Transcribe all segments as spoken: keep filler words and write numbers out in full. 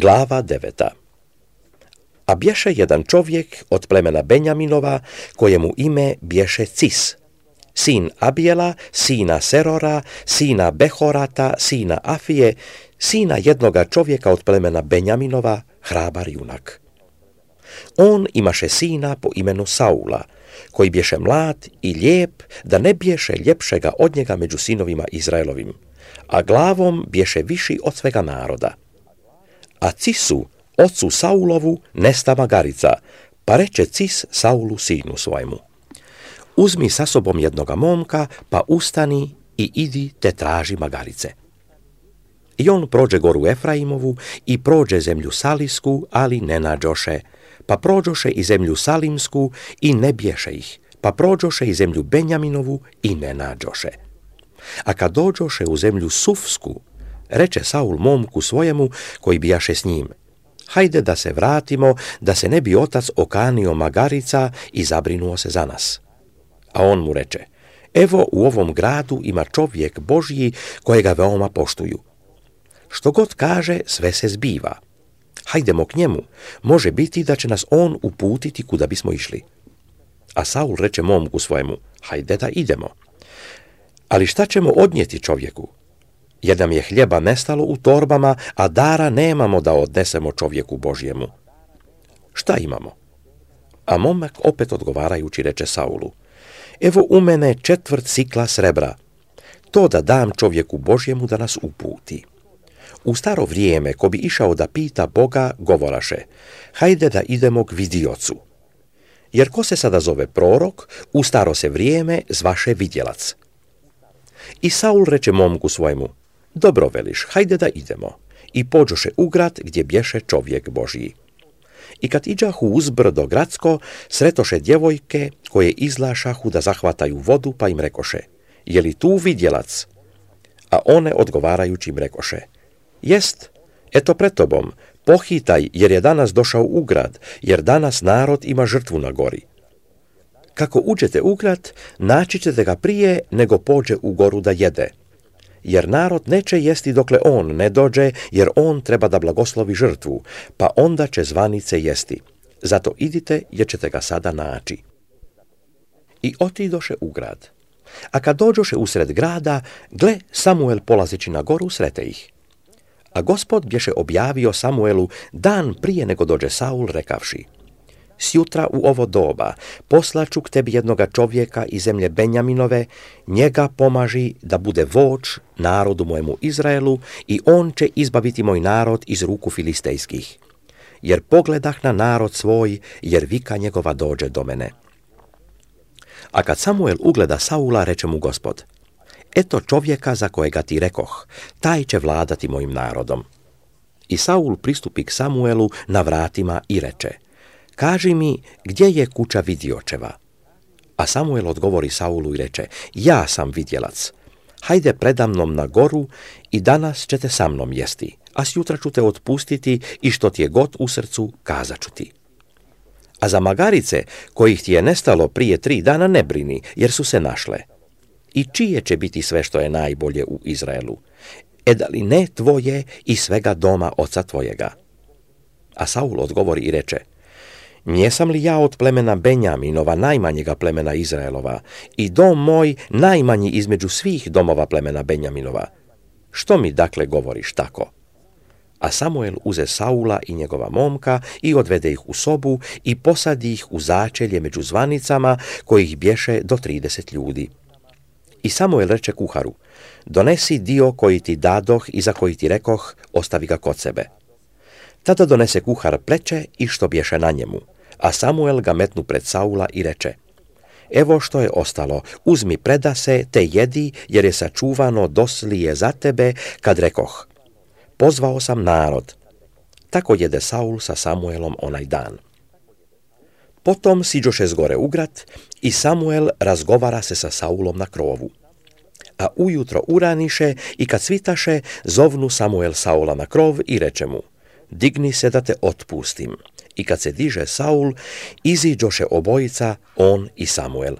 Glava deveta. A bješe jedan čovjek od plemena Benjaminova, kojemu ime bješe Cis, sin Abijela, sina Serora, sina Behorata, sina Afije, sina jednoga čovjeka od plemena Benjaminova, hrabar junak. On imaše sina po imenu Saula, koji bješe mlad i lijep, da ne bješe ljepšega od njega među sinovima Izraelovim, a glavom bješe viši od svega naroda. A Cisu, ocu Saulovu, nesta magarica, pa reče Cis Saulu sinu svojemu: uzmi sa sobom jednoga momka, pa ustani i idi te traži magarice. I on prođe goru Efraimovu i prođe zemlju Salisku, ali ne nađoše, pa prođoše i zemlju Salimsku i ne bješe ih, pa prođoše i zemlju Benjaminovu i ne nađoše. A kad dođoše u zemlju Sufsku, reče Saul momku svojemu koji bijaše s njim: hajde da se vratimo, da se ne bi otac okanio magarica i zabrinuo se za nas. A on mu reče: evo, u ovom gradu ima čovjek Božji kojega veoma poštuju. Što god kaže, sve se zbiva. Hajdemo k njemu, može biti da će nas on uputiti kuda bismo išli. A Saul reče momku svojemu: hajde da idemo. Ali šta ćemo odnijeti čovjeku? Jer nam je hljeba nestalo u torbama, a dara nemamo da odnesemo čovjeku Božjemu. Šta imamo? A momak opet odgovarajući reče Saulu: evo u mene četvrt sikla srebra, to da dam čovjeku Božjemu da nas uputi. U staro vrijeme, ko bi išao da pita Boga, govoraše: hajde da idemo k vidiocu. Jer ko se sada zove prorok, u staro se vrijeme zvaše vidjelac. I Saul reče momku svojemu: dobro veliš, hajde da idemo. I pođoše u grad gdje bješe čovjek Božji. I kad iđahu uzbrdo gradsko, sretoše djevojke koje izlašahu da zahvataju vodu, pa im rekoše: je li tu vidjelac? A one odgovarajući im rekoše: jest, eto pred tobom, pohitaj, jer je danas došao u grad, jer danas narod ima žrtvu na gori. Kako uđete u grad, naći ćete ga prije nego pođe u goru da jede. Jer narod neće jesti dokle on ne dođe, jer on treba da blagoslovi žrtvu, pa onda će zvanice jesti. Zato idite, jer ćete ga sada naći. I otidoše u grad. A kad dođoše usred grada, gle, Samuel polazeći na goru srete ih. A Gospod bješe objavio Samuelu dan prije nego dođe Saul, rekavši: sjutra u ovo doba poslaću k tebi jednoga čovjeka iz zemlje Benjaminove, njega pomaži da bude vođ narodu mojemu Izraelu i on će izbaviti moj narod iz ruku filistejskih. Jer pogledah na narod svoj, jer vika njegova dođe do mene. A kad Samuel ugleda Saula, reče mu Gospod: eto čovjeka za kojega ti rekoh, taj će vladati mojim narodom. I Saul pristupi k Samuelu na vratima i reče: kaži mi, gdje je kuća vidiočeva? A Samuel odgovori Saulu i reče: ja sam vidjelac. Hajde predamnom na goru i danas ćete sa mnom jesti, a sjutra ću te otpustiti i što ti je god u srcu, kazat ću ti. A za magarice, kojih ti je nestalo prije tri dana, ne brini, jer su se našle. I čije će biti sve što je najbolje u Izraelu? E da li ne tvoje i svega doma oca tvojega? A Saul odgovori i reče: njesam li ja od plemena Benjaminova, najmanjega plemena Izraelova, i dom moj najmanji između svih domova plemena Benjaminova? Što mi dakle govoriš tako? A Samuel uze Saula i njegova momka i odvede ih u sobu i posadi ih u začelje među zvanicama, kojih bješe do trideset ljudi. I Samuel reče kuharu: donesi dio koji ti dadoh i za koji ti rekoh, ostavi ga kod sebe. Tada donese kuhar pleće i što bješe na njemu, a Samuel ga metnu pred Saula i reče: evo što je ostalo, uzmi predase, te jedi, jer je sačuvano doslije za tebe, kad rekoh: pozvao sam narod. Tako jede Saul sa Samuelom onaj dan. Potom siđoše zgore u grad i Samuel razgovara se sa Saulom na krovu. A ujutro uraniše i kad svitaše, zovnu Samuel Saula na krov i reče mu: digni se da te otpustim. I kad se diže Saul, iziđoše obojica, on i Samuel.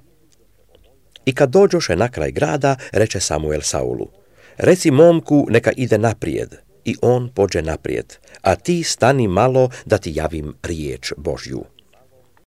I kad dođoše na kraj grada, reče Samuel Saulu: reci momku neka ide naprijed. i on pođe naprijed, a ti stani malo da ti javim riječ Božju.